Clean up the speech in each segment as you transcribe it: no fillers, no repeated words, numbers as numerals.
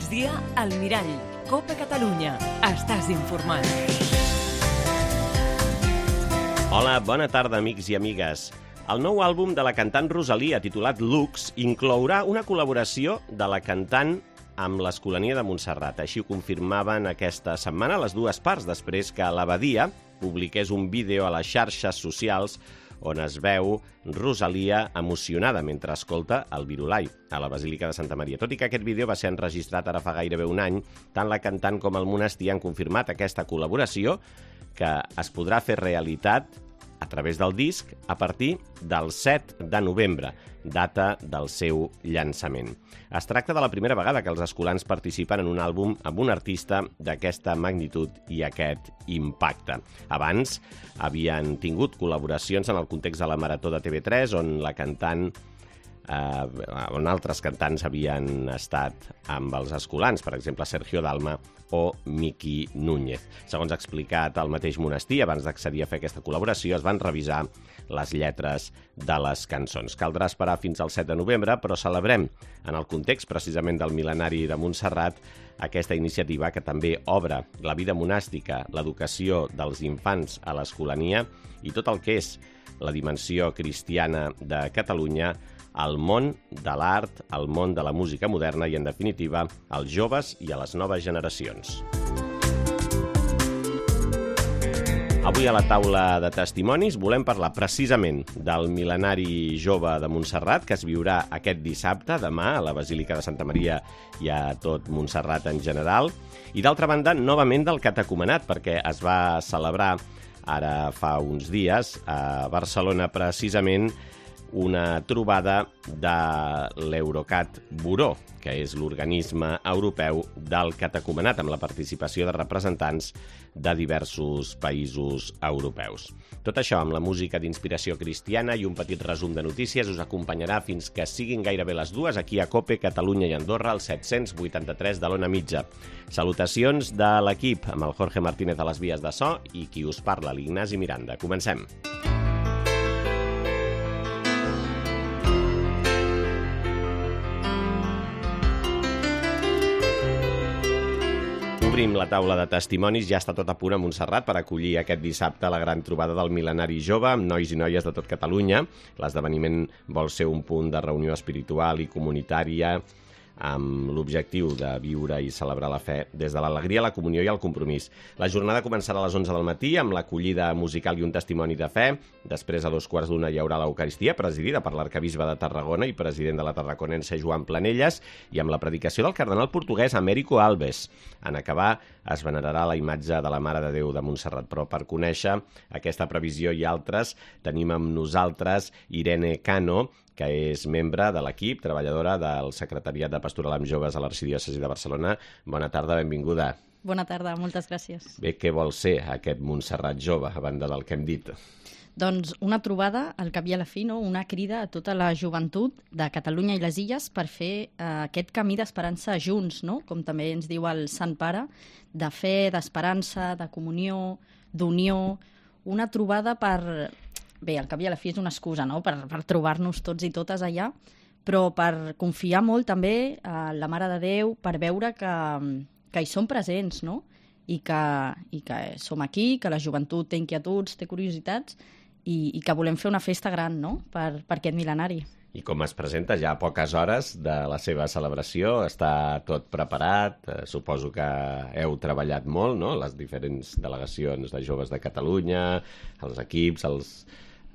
migdia, al Mirall. Copa Catalunya. Estàs informat. Hola, bona tarda, amics i amigues. El nou àlbum de la cantant Rosalia, titulat Lux, inclourà una col·laboració de la cantant amb l'Escolania de Montserrat. Així ho confirmaven aquesta setmana les dues parts, després que l'Abadia publiqués un vídeo a les xarxes socials on es veu Rosalia emocionada mentre escolta el Virolai a la Basílica de Santa Maria. Tot i que aquest vídeo va ser enregistrat ara fa gairebé un any, tant la cantant com el monestir han confirmat aquesta col·laboració que es podrà fer realitat a través del disc a partir del 7 de novembre, data del seu llançament. Es tracta de la primera vegada que els escolans participen en un àlbum amb un artista d'aquesta magnitud i aquest impacte. Abans havien tingut col·laboracions en el context de la Marató de TV3, on la cantant on altres cantants havien estat amb els escolans, per exemple Sergio Dalma o Miki Núñez. Segons ha explicat el mateix monestir, abans d'accedir a fer aquesta col·laboració, es van revisar les lletres de les cançons. Caldrà esperar fins al 7 de novembre, però celebrem, en el context precisament del mil·lenari de Montserrat, aquesta iniciativa que també obre la vida monàstica, l'educació dels infants a l'escolania i tot el que és la dimensió cristiana de Catalunya al món de l'art, al món de la música moderna i, en definitiva, als joves i a les noves generacions. Avui a la taula de testimonis volem parlar precisament del mil·lenari jove de Montserrat que es viurà aquest dissabte, demà, a la Basílica de Santa Maria i a tot Montserrat en general. I d'altra banda, novament del catecumenat, perquè es va celebrar ara fa uns dies a Barcelona precisament una trobada de l'Eurocat Buró, que és l'organisme europeu del catecumenat, amb la participació de representants de diversos països europeus. Tot això amb la música d'inspiració cristiana i un petit resum de notícies us acompanyarà fins que siguin gairebé les dues aquí a COPE, Catalunya i Andorra, al 783 de l'Ona Mitja. Salutacions de l'equip, amb el Jorge Martínez a les vies de so i qui us parla, l'Ignasi Miranda. Comencem. Obrim la taula de testimonis, ja està tot a punt a Montserrat per acollir aquest dissabte la gran trobada del mil·lenari jove amb nois i noies de tot Catalunya. L'esdeveniment vol ser un punt de reunió espiritual i comunitària amb l'objectiu de viure i celebrar la fe des de l'alegria, la comunió i el compromís. La jornada començarà a les 11 del matí amb l'acollida musical i un testimoni de fe. Després, a 2:15, hi haurà l'Eucaristia, presidida per l'arcabisbe de Tarragona i president de la tarraconense Joan Planelles, i amb la predicació del cardenal portuguès Américo Alves. En acabar, es venerarà la imatge de la Mare de Déu de Montserrat. Però per conèixer aquesta previsió i altres, tenim amb nosaltres Irene Cano, que és membre de l'equip, treballadora del Secretariat de Pastoral amb Joves a l'Arxidiòcesi de Barcelona. Bona tarda, benvinguda. Bona tarda, moltes gràcies. Bé, què vol ser aquest Montserrat jove, a banda del que hem dit? Doncs una trobada, al cap i a la fi, no? Una crida a tota la joventut de Catalunya i les Illes per fer aquest camí d'esperança junts, no? Com també ens diu el Sant Pare, de fe, d'esperança, de comunió, d'unió, una trobada per... Bé, al cap i a la fi és una excusa, no?, per trobar-nos tots i totes allà, però per confiar molt també a la Mare de Déu, per veure que hi som presents, no?, i que som aquí, que la joventut té inquietuds, té curiositats, i que volem fer una festa gran, no?, per aquest mil·lenari. I com es presenta ja a poques hores de la seva celebració? Està tot preparat? Suposo que heu treballat molt, no?, les diferents delegacions de joves de Catalunya, els equips, els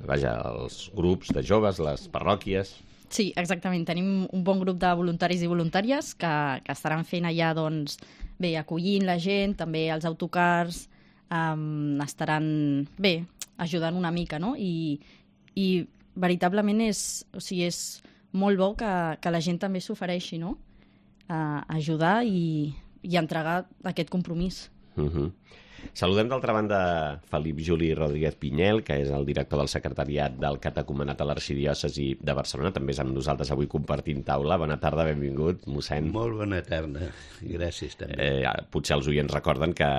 grups de joves, les parròquies... Sí, exactament. Tenim un bon grup de voluntaris i voluntàries que estaran fent allà, doncs, bé, acollint la gent, també els autocars, estaran, bé, ajudant una mica, no? I veritablement és molt bo que la gent també s'ofereixi, no?, a ajudar i entregar aquest compromís. Saludem d'altra banda Felip Juli Rodríguez Pinyel, que és el director del secretariat del Catecumenat a l'Arxidiòcesi de Barcelona. També és amb nosaltres avui compartint taula. Bona tarda, benvingut, mossèn. Molt bona tarda, gràcies també. Potser els oients recorden que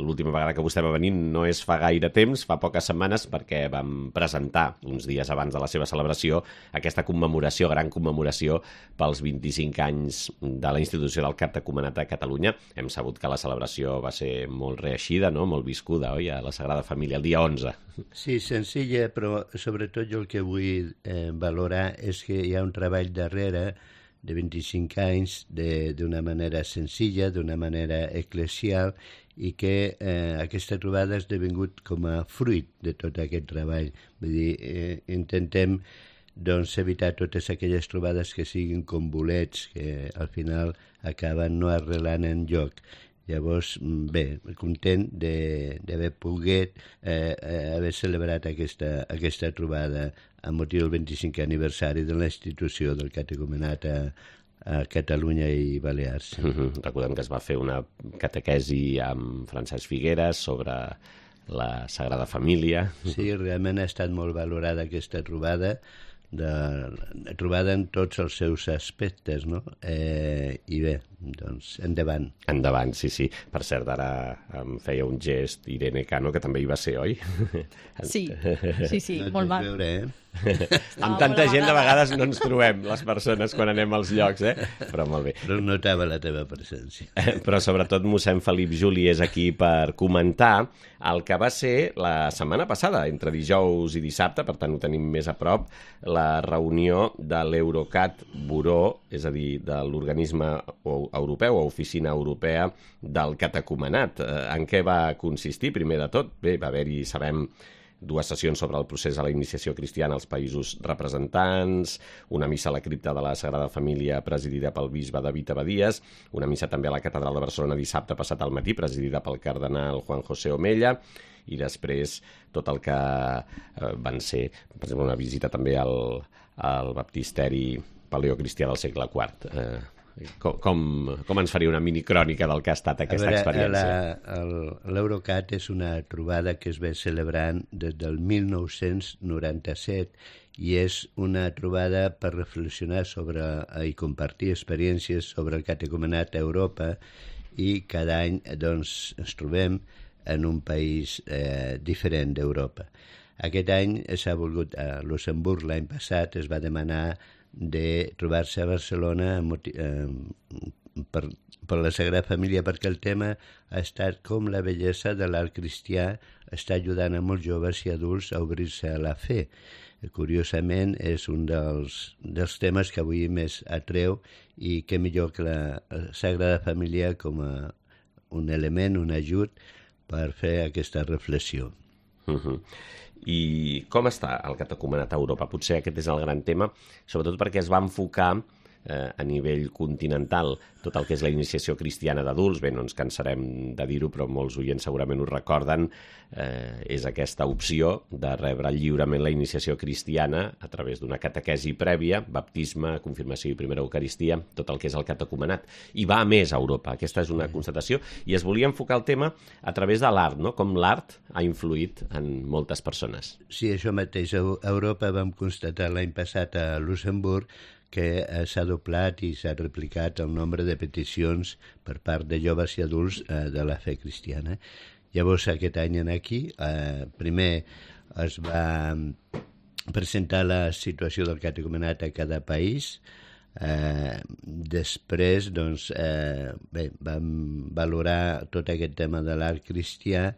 l'última vegada que vostè va venir no és fa gaire temps, fa poques setmanes, perquè vam presentar uns dies abans de la seva celebració aquesta commemoració, gran commemoració pels 25 anys de la institució del Catecumenat a Catalunya. Hem sabut que la celebració va ser molt reeixida, no? Molt viscuda, oi? A la Sagrada Família, el dia 11. Sí, senzilla, però sobretot jo el que vull valorar és que hi ha un treball darrere de 25 anys d'una manera senzilla, d'una manera eclesial, i que aquesta trobada ha esdevingut com a fruit de tot aquest treball. Vull dir, intentem doncs, evitar totes aquelles trobades que siguin com bolets, que al final acaben no arrelant enlloc. Llavors, bé, content d'haver pogut haver celebrat aquesta trobada amb motiu del 25è aniversari de la institució del Catecumenat a Catalunya i Balears. Recordem que es va fer una catequesi amb Francesc Figueres sobre la Sagrada Família. Sí, realment ha estat molt valorada aquesta trobada, trobada en tots els seus aspectes, no? I bé, doncs, endavant. Endavant, sí. Per cert, ara em feia un gest Irene Cano, que també hi va ser, oi? Sí, no molt mal. Veure, Amb tanta gent de vegades no ens trobem les persones quan anem als llocs, però molt bé. Però notava la teva presència. Però sobretot mossèn Felip Juli és aquí per comentar el que va ser la setmana passada, entre dijous i dissabte, per tant ho tenim més a prop, la reunió de l'Eurocat Buró, és a dir, de l'organisme europeu o oficina europea del Catecumenat. En què va consistir, primer de tot? Bé, va haver-hi, sabem, dues sessions sobre el procés a la iniciació cristiana als països representants, una missa a la cripta de la Sagrada Família presidida pel bisbe David Abadías, una missa també a la Catedral de Barcelona dissabte passat al matí presidida pel cardenal Juan José Omella, i després tot el que van ser, per exemple, una visita també al baptisteri paleocristià del segle IV. Com ens faria una minicrònica del que ha estat aquesta experiència? L'Eurocat és una trobada que es ve celebrant des del 1997 i és una trobada per reflexionar sobre i compartir experiències sobre el catecumenat a Europa, i cada any doncs, ens trobem en un país diferent d'Europa. Aquest any s'ha volgut, a Luxemburg l'any passat es va demanar de trobar-se a Barcelona per la Sagrada Família, perquè el tema ha estat com la bellesa de l'art cristià està ajudant a molts joves i adults a obrir-se a la fe. Curiosament, és un dels temes que avui més atreu, i què millor que la Sagrada Família com a un element, un ajut per fer aquesta reflexió. I com està el catecumenat a Europa? Potser aquest és el gran tema, sobretot perquè es va enfocar a nivell continental tot el que és la iniciació cristiana d'adults. Bé, no ens cansarem de dir-ho, però molts oients segurament ho recorden. És aquesta opció de rebre lliurement la iniciació cristiana a través d'una catequesi prèvia, baptisme, confirmació i primera eucaristia, tot el que és el catecumenat. I va a més a Europa, aquesta és una constatació, i es volia enfocar el tema a través de l'art, no? Com l'art ha influït en moltes persones. Sí, això mateix. A Europa vam constatar l'any passat a Luxemburg que s'ha doblat i s'ha replicat el nombre de peticions per part de joves i adults de la fe cristiana. Llavors, aquest any aquí, primer es va presentar la situació del catecumenat a cada país. Després, doncs, vam valorar tot aquest tema de l'art cristià,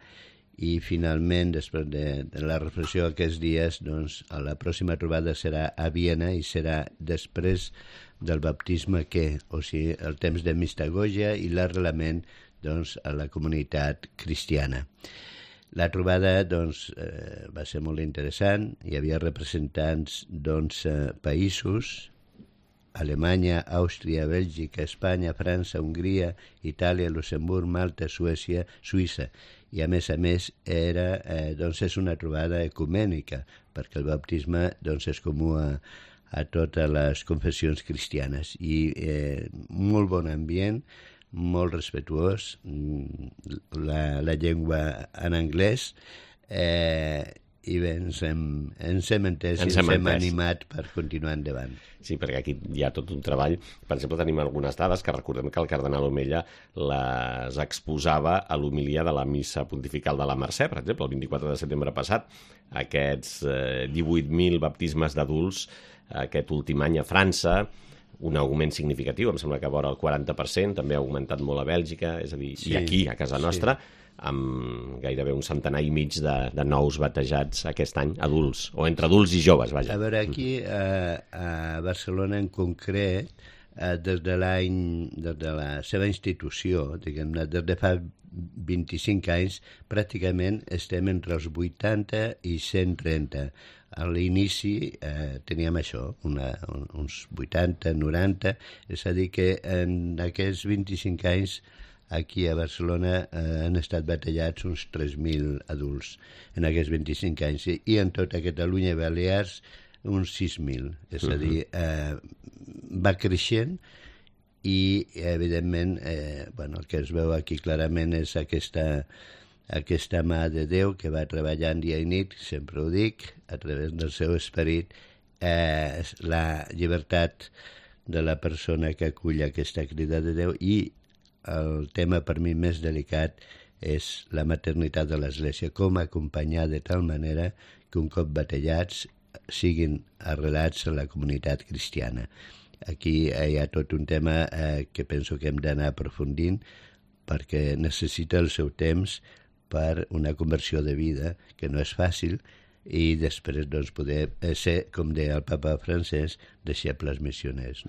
i finalment, després de la reflexió aquests dies, doncs, la pròxima trobada serà a Viena i serà després del baptisme, o sigui, el temps de mistagogia i l'arrelament, doncs, a la comunitat cristiana. La trobada, doncs, va ser molt interessant. Hi havia representants d'11 països: Alemanya, Àustria, Bèlgica, Espanya, França, Hongria, Itàlia, Luxemburg, Malta, Suïssa, i a més doncs és una trobada ecumènica, perquè el baptisme doncs, és comú a totes les confessions cristianes, i molt bon ambient, molt respectuós, la llengua en anglès, i bé, ens hem entès i ens hem animat per continuar endavant. Sí, perquè aquí hi ha tot un treball. Per exemple, tenim algunes dades que recordem que el cardenal Omella les exposava a l'homilia de la missa pontifical de la Mercè, per exemple, el 24 de setembre passat. Aquests 18.000 baptismes d'adults aquest últim any a França, un augment significatiu, em sembla que vora el 40%, també ha augmentat molt a Bèlgica, és a dir, sí, i aquí, a casa nostra, amb gairebé un centenar i mig de nous batejats aquest any, adults, o entre adults i joves, vaja. A veure, aquí a Barcelona en concret, des de la seva institució, diguem-ne, des de fa 25 anys, pràcticament estem entre els 80 i 130. A l'inici teníem això, uns 80, 90, és a dir que en aquests 25 anys aquí a Barcelona han estat batejats uns 3.000 adults en aquests 25 anys i en tota Catalunya i Balears uns 6.000. És a dir, va creixent i, evidentment, el que es veu aquí clarament és aquesta mà de Déu que va treballant dia i nit, sempre ho dic, a través del seu esperit, la llibertat de la persona que acull aquesta crida de Déu i el tema per mi més delicat és la maternitat de l'Església, com acompanyar de tal manera que un cop batejats siguin arrelats a la comunitat cristiana. Aquí hi ha tot un tema que penso que hem d'anar aprofundint perquè necessita el seu temps per una conversió de vida, que no és fàcil, i després poder ser, com deia el papa francès, deixebles missioners.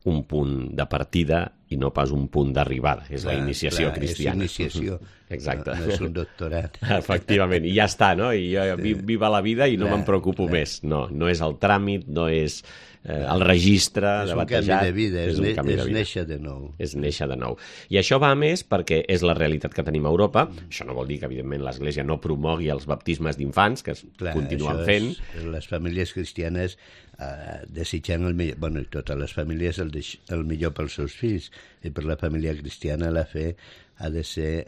Un punt de partida i no pas un punt d'arribada. És la iniciació cristiana. És iniciació. Exacte. No és un doctorat. Efectivament. I ja està, no? I jo viva la vida i no me'n preocupo més. No és el tràmit, no és el registre de batejat. És un canvi de vida, és néixer de nou. És néixer de nou. I això va a més perquè és la realitat que tenim a Europa. Això no vol dir que, evidentment, l'Església no promogui els baptismes d'infants, que es continuen fent. Les famílies cristianes desitjant el millor, bueno, totes les famílies el millor pels seus fills, i per la família cristiana la fe ha de ser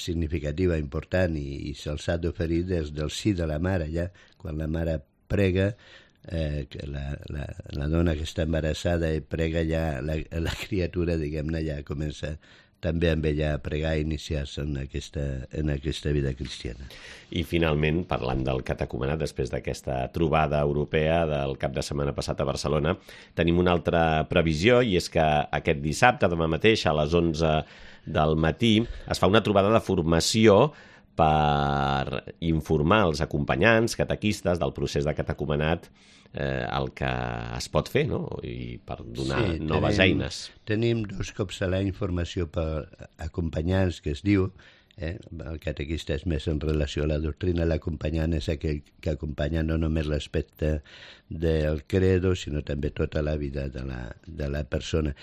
significativa, important, i se'ls ha d'oferir des del sí de la mare, ja quan la mare prega, que la dona que està embarassada i prega, ja la criatura, diguem-ne, ja comença també amb ella a pregar i iniciar-se en aquesta vida cristiana. I finalment, parlant del catecumenat, després d'aquesta trobada europea del cap de setmana passat a Barcelona, tenim una altra previsió, i és que aquest dissabte, demà mateix, a les 11 del matí, es fa una trobada de formació per informar els acompanyants, catequistes, del procés de catecumenat, el que es pot fer, no? I per donar noves eines. Tenim 2 cops a l'any formació per acompanyants, que es diu, el catequista és més en relació a la doctrina, l'acompanyant és aquell que acompanya no només l'aspecte del credo, sinó també tota la vida de la persona.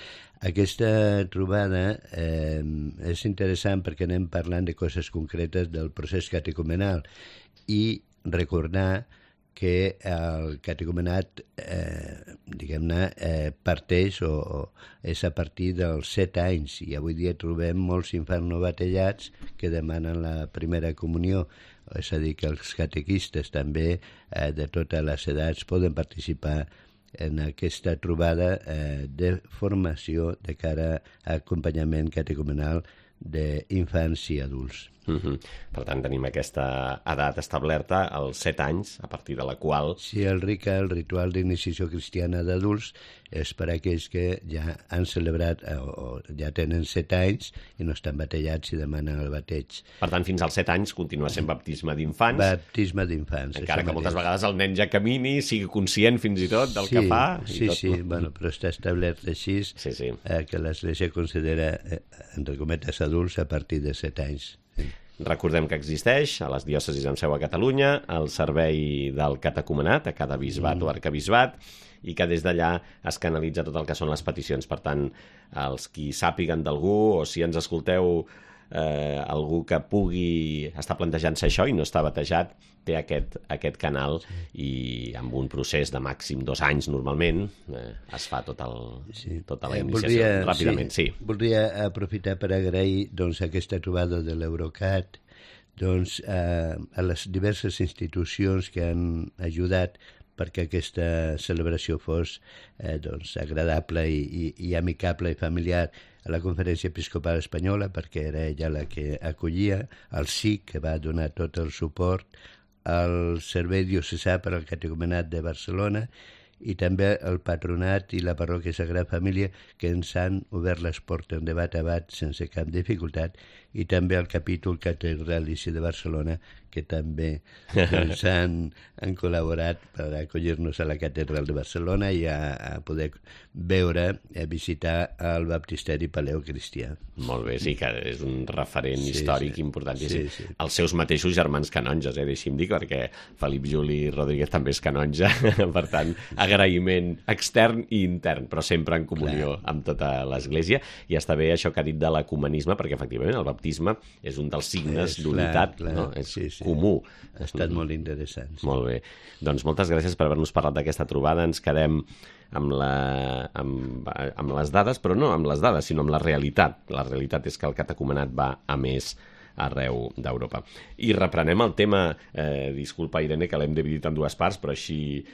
Aquesta trobada és interessant perquè anem parlant de coses concretes del procés catecumenal i recordar que el catecumenat, diguem-ne, parteix o és a partir dels 7 anys, i avui dia trobem molts infants no batejats que demanen la primera comunió, és a dir, que els catequistes també de totes les edats poden participar en aquesta trobada de formació de cara a acompanyament catecumenal d'infants i adults. Per tant, tenim aquesta edat establerta, als 7 anys, a partir de la qual... Sí, el ritual d'iniciació cristiana d'adults és per a aquells que ja han celebrat o ja tenen 7 anys i no estan batejats i demanen el bateig. Per tant, fins als 7 anys continua sent baptisme d'infants. Baptisme d'infants. Encara que moltes vegades el nen ja camini, sigui conscient fins i tot del que fa. Sí, bueno, però està establert així que l'Església considera, entre cometes, adults a partir de 7 anys. Recordem que existeix a les diòcesis amb seu a Catalunya el servei del catecumenat a cada bisbat o arquebisbat, i que des d'allà es canalitza tot el que són les peticions. Per tant, els qui sàpiguen d'algú, o si ens escolteu algú que pugui estar plantejant-se això i no està batejat, té aquest canal i amb un procés de màxim 2 anys normalment es fa tota la iniciació ràpidament. Voldria aprofitar per agrair aquesta trobada de l'Eurocat a les diverses institucions que han ajudat perquè aquesta celebració fos agradable i amicable i familiar, a la Conferència Episcopal Espanyola, perquè era ella la que acollia, al SIC, que va donar tot el suport, al Servei Diocesà per al Catecumenat de Barcelona i també el Patronat i la Parròquia Sagrada Família, que ens han obert les portes de bat a bat sense cap dificultat, i també el capítol catedralici de Barcelona, que també han col·laborat per acollir-nos a la catedral de Barcelona i a poder veure, visitar el baptisteri paleocristià. Molt bé, sí, que és un referent històric importantíssim. Els seus mateixos germans canonges, deixi'm dir, perquè Felip Juli Rodríguez també és canonge, per tant, agraïment extern i intern, però sempre en comunió amb tota l'Església. I està bé això que ha dit de l'ecumenisme, perquè efectivament el baptisme és un dels signes d'unitat, no? És comú. Ha estat molt interessant. Molt bé. Doncs moltes gràcies per haver-nos parlat d'aquesta trobada. Ens quedem amb les dades, però no amb les dades, sinó amb la realitat. La realitat és que el catecumenat va a més arreu d'Europa. I reprenem el tema, disculpa Irene que l'hem dividit en 2 parts, però així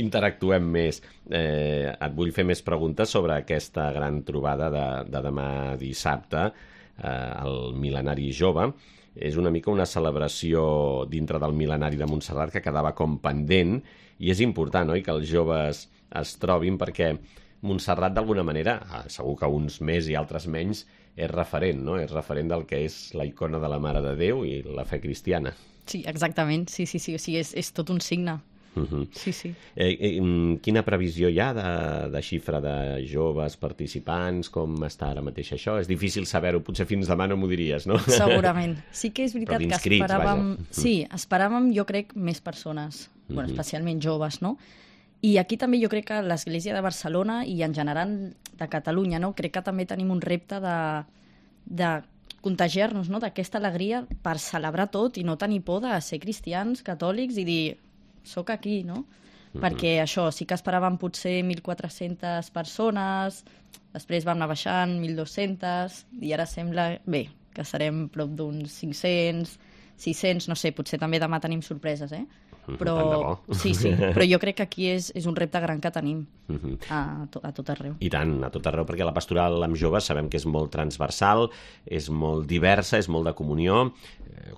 interactuem més. Et vull fer més preguntes sobre aquesta gran trobada de demà dissabte, el Mil·lenari Jove. És una mica una celebració dintre del Mil·lenari de Montserrat que quedava com pendent, i és important, oi?, que els joves es trobin, perquè Montserrat d'alguna manera, segur que uns més i altres menys, és referent, no? És referent del que és la icona de la Mare de Déu i la fe cristiana. Sí, exactament, sí, o sigui, és tot un signe. Sí. Quina previsió hi ha de xifra de joves participants? Com està ara mateix això? És difícil saber-ho, potser fins demà no m'ho diries, no? Segurament. Sí que és veritat que esperàvem... Sí, esperàvem, jo crec, més persones, especialment joves, no? I aquí també jo crec que l'Església de Barcelona i en general de Catalunya, no? Crec que també tenim un repte de contagiar-nos, no?, d'aquesta alegria per celebrar tot i no tenir por de ser cristians, catòlics i dir... soc aquí, no? Perquè això, sí que esperàvem potser 1.400 persones, després vam anar baixant, 1.200, i ara sembla, bé, que serem prop d'uns 500, 600, no sé, potser també demà tenim sorpreses, però sí, però jo crec que aquí és un repte gran que tenim a tot arreu. I tant, a tot arreu, perquè la pastoral amb joves sabem que és molt transversal, és molt diversa, és molt de comunió,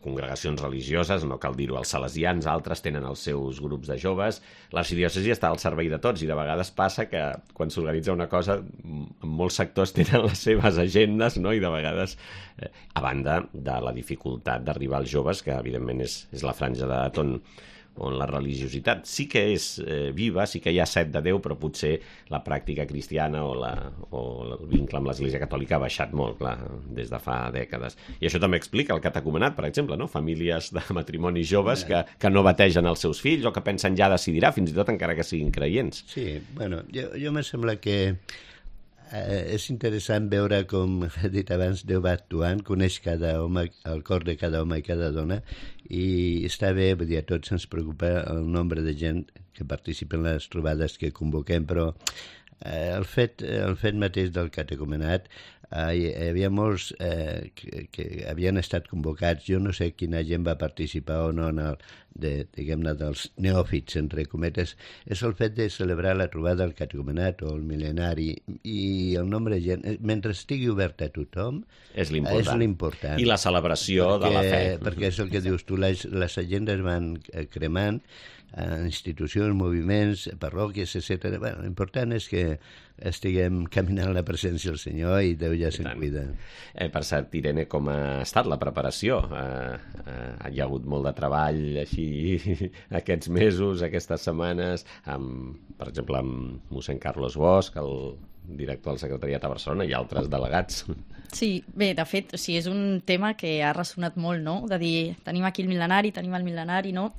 congregacions religioses, no cal dir-ho, els salesians, altres tenen els seus grups de joves, l'arxidiòcesi està al servei de tots i de vegades passa que quan s'organitza una cosa molts sectors tenen les seves agendes, no? I de vegades, a banda de la dificultat d'arribar als joves, que evidentment és la franja d'edat on la religiositat sí que és viva, sí que hi ha set de Déu, però potser la pràctica cristiana o el vincle amb l'Església Catòlica ha baixat molt, clar, des de fa dècades. I això també explica el catecumenat, per exemple, no? Famílies de matrimonis joves que no bategen els seus fills o que pensen ja decidirà, fins i tot encara que siguin creients. Sí, bueno, jo me sembla que és interessant veure, com he dit abans, Déu va actuant, coneix cada home, el cor de cada home i cada dona, i està bé, vull dir, a tots ens preocupa el nombre de gent que participa en les trobades que convoquem, però el fet mateix del catecumenat, hi havia molts que havien estat convocats, jo no sé quina gent va participar o no diguem-ne, dels neòfits, entre cometes, és el fet de celebrar la trobada del catecumenat o el mil·lenari, i el nombre de gent, mentre estigui obert a tothom, és l'important. I la celebració de la fe. Perquè és el que dius tu, les agendes van cremant, institucions, moviments, parròquies, etc. Bueno, l'important és que estiguem caminant la presència del Senyor i Déu ja se'n cuida. Per cert, Irene, com ha estat la preparació? Hi ha hagut molt de treball així aquests mesos, aquestes setmanes, per exemple, amb mossèn Carlos Bosch, el director del Secretariat a Barcelona, i altres delegats. Sí, bé, de fet, sí, és un tema que ha ressonat molt, no?, de dir, tenim aquí el mil·lenari, no?,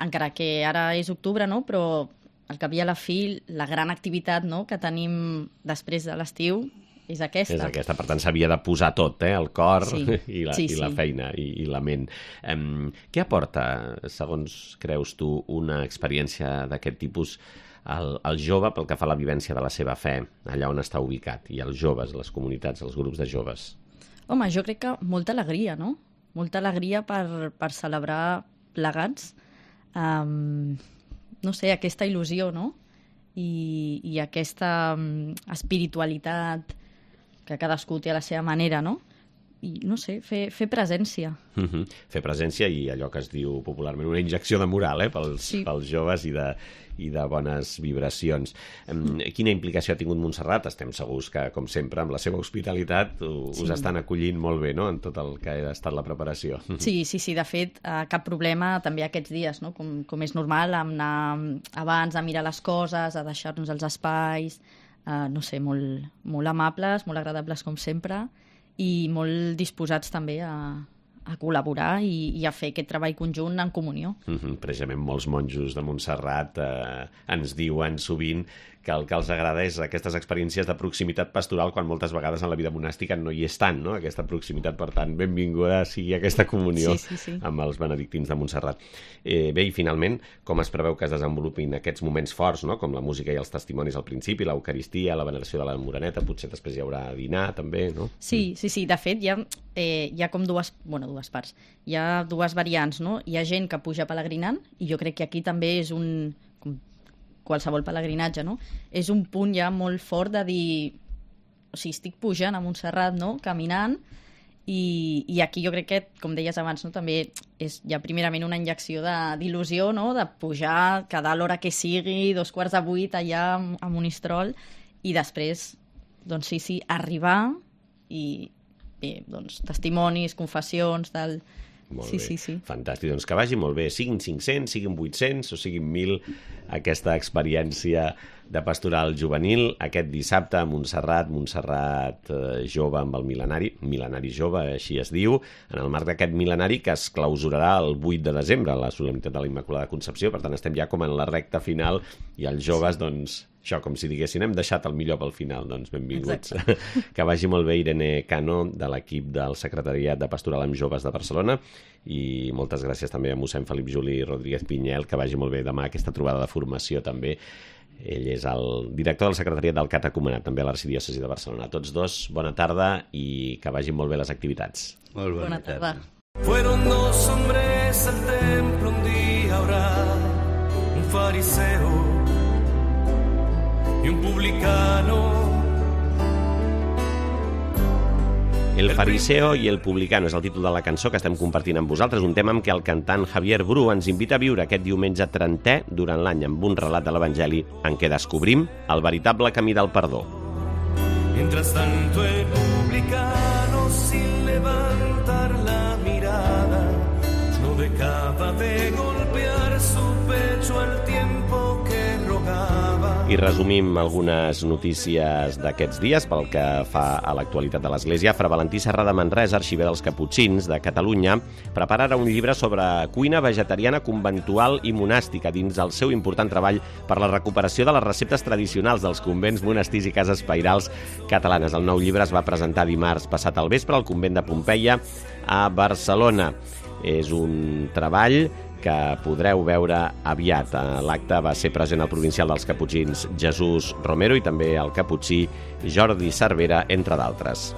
encara que ara és octubre, no?, però al cap i a la fi, la gran activitat, no?, que tenim després de l'estiu és aquesta. És aquesta, per tant s'havia de posar tot, el cor i la feina i la ment. Què aporta, segons creus tu, una experiència d'aquest tipus al jove pel que fa a la vivència de la seva fe, allà on està ubicat, i els joves, les comunitats, els grups de joves? Home, jo crec que molta alegria, no? Molta alegria per celebrar plegats, no sé, aquesta il·lusió, no? I aquesta espiritualitat que cadascú té a la seva manera, no? I, no sé, fer presència. Fer presència i allò que es diu popularment una injecció de moral pels joves i de bones vibracions. Quina implicació ha tingut Montserrat? Estem segurs que, com sempre, amb la seva hospitalitat us estan acollint molt bé, no?, en tot el que ha estat la preparació. Sí, de fet, cap problema també aquests dies, no?, com és normal, anar abans a mirar les coses, a deixar-nos els espais, no sé, molt amables, molt agradables com sempre, i molt disposats també a col·laborar i a fer aquest treball conjunt en comunió. Precisament molts monjos de Montserrat ens diuen sovint que el que els agrada és aquestes experiències de proximitat pastoral quan moltes vegades en la vida monàstica no hi és tant, no?, aquesta proximitat. Per tant, benvinguda sigui aquesta comunió amb els benedictins de Montserrat. Bé, i finalment, com es preveu que es desenvolupin aquests moments forts, no?, com la música i els testimonis al principi, l'Eucaristia, la veneració de la Moreneta, potser després hi haurà dinar també, no? Sí. De fet, hi ha com dues parts. Hi ha dues variants, no? Hi ha gent que puja pelegrinant, i jo crec que aquí també és qualsevol pelegrinatge, no? És un punt ja molt fort de dir, o sigui, estic pujant a Montserrat, no?, caminant, i aquí jo crec que, com deies abans, no?, també és ja primerament una injecció d'il·lusió, no?, de pujar, quedar a l'hora que sigui, 7:45 allà a Monistrol, i després, doncs sí, arribar i bé, doncs testimonis, confessions, tal. Molt bé. Sí. Fantàstic. Doncs que vagi molt bé. Siguin 500, siguin 800 o siguin 1.000, aquesta experiència de pastoral juvenil aquest dissabte a Montserrat jove amb el mil·lenari jove, així es diu, en el marc d'aquest mil·lenari que es clausurarà el 8 de desembre, la solemnitat de la Immaculada Concepció. Per tant, estem ja com en la recta final i els joves, doncs, això, com si diguessin, hem deixat el millor pel final, doncs benvinguts. Que vagi molt bé Irene Cano, de l'equip del Secretariat de Pastoral amb Joves de Barcelona, i moltes gràcies també a mossèn Felip Juli Rodríguez Pinyel, que vagi molt bé demà aquesta trobada de formació també. Ell és el director del Secretariat del Catecumenat, també a l'Arxidiòcesi de Barcelona. A tots dos, bona tarda i que vagin molt bé les activitats. Molt bona tarda. Fueron 2 hombres al templo un día a orar, un fariseo y un publicano. El fariseo i el publicano és el títol de la cançó que estem compartint amb vosaltres, un tema amb què el cantant Javier Bru ens invita a viure aquest diumenge 30è durant l'any amb un relat de l'Evangeli en què descobrim el veritable camí del perdó. Mientras tanto el publicano sin levantar la mirada no dejaba de golpear su pecho al tiempo que rogaba. I resumim algunes notícies d'aquests dies pel que fa a l'actualitat de l'Església. Fra Valentí Serra de Manresa, arxiver dels Caputxins de Catalunya, prepararà un llibre sobre cuina vegetariana conventual i monàstica dins el seu important treball per la recuperació de les receptes tradicionals dels convents, monestirs i cases pairals catalanes. El nou llibre es va presentar dimarts passat al vespre al convent de Pompeia a Barcelona. És un treball que podreu veure aviat. L'acte va ser present el provincial dels Caputxins Jesús Romero i també el caputxí Jordi Cervera, entre d'altres.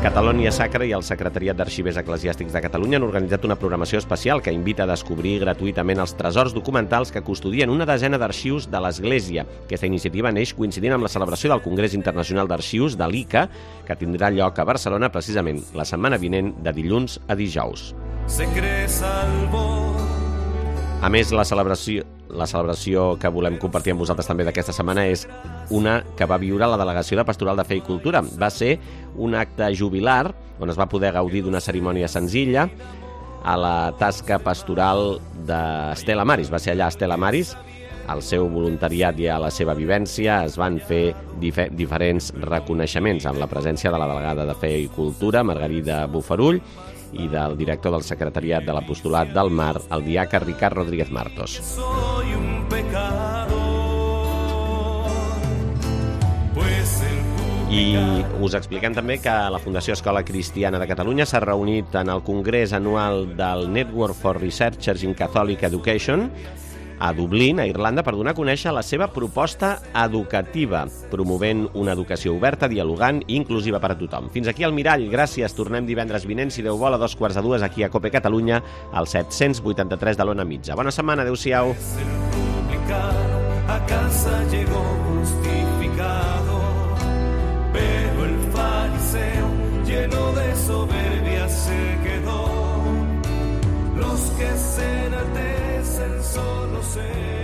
Catalonia Sacra i el Secretariat d'Arxivers Eclesiàstics de Catalunya han organitzat una programació especial que invita a descobrir gratuïtament els tresors documentals que custodien una desena d'arxius de l'Església. Aquesta iniciativa neix coincidint amb la celebració del Congrés Internacional d'Arxius de l'ICA, que tindrà lloc a Barcelona precisament la setmana vinent de dilluns a dijous. A més, la celebració que volem compartir amb vosaltres també d'aquesta setmana és una que va viure la Delegació de Pastoral de Fe i Cultura. Va ser un acte jubilar on es va poder gaudir d'una cerimònia senzilla a la tasca pastoral d'Estela Maris. Va ser allà Estela Maris, al seu voluntariat i a la seva vivència es van fer diferents reconeixements amb la presència de la delegada de Fe i Cultura, Margarida Bufarull, i del director del Secretariat de l'Apostolat del Mar, el diaca Ricard Rodríguez Martos. Soy un pecador, pues el I us expliquem també que la Fundació Escola Cristiana de Catalunya s'ha reunit en el Congrés Anual del Network for Researchers in Catholic Education a Dublín, a Irlanda, per donar a conèixer la seva proposta educativa, promovent una educació oberta, dialogant i inclusiva per a tothom. Fins aquí el Mirall, gràcies. Tornem divendres vinent, si Déu vol, a 2:45 aquí a COPE Catalunya, al 783 de l'Ona Mitja. Bona setmana, adéu-siau. A casa llegó justificado, pero el fariseo lleno de soberbia se quedó. Los que se enaltecen solo se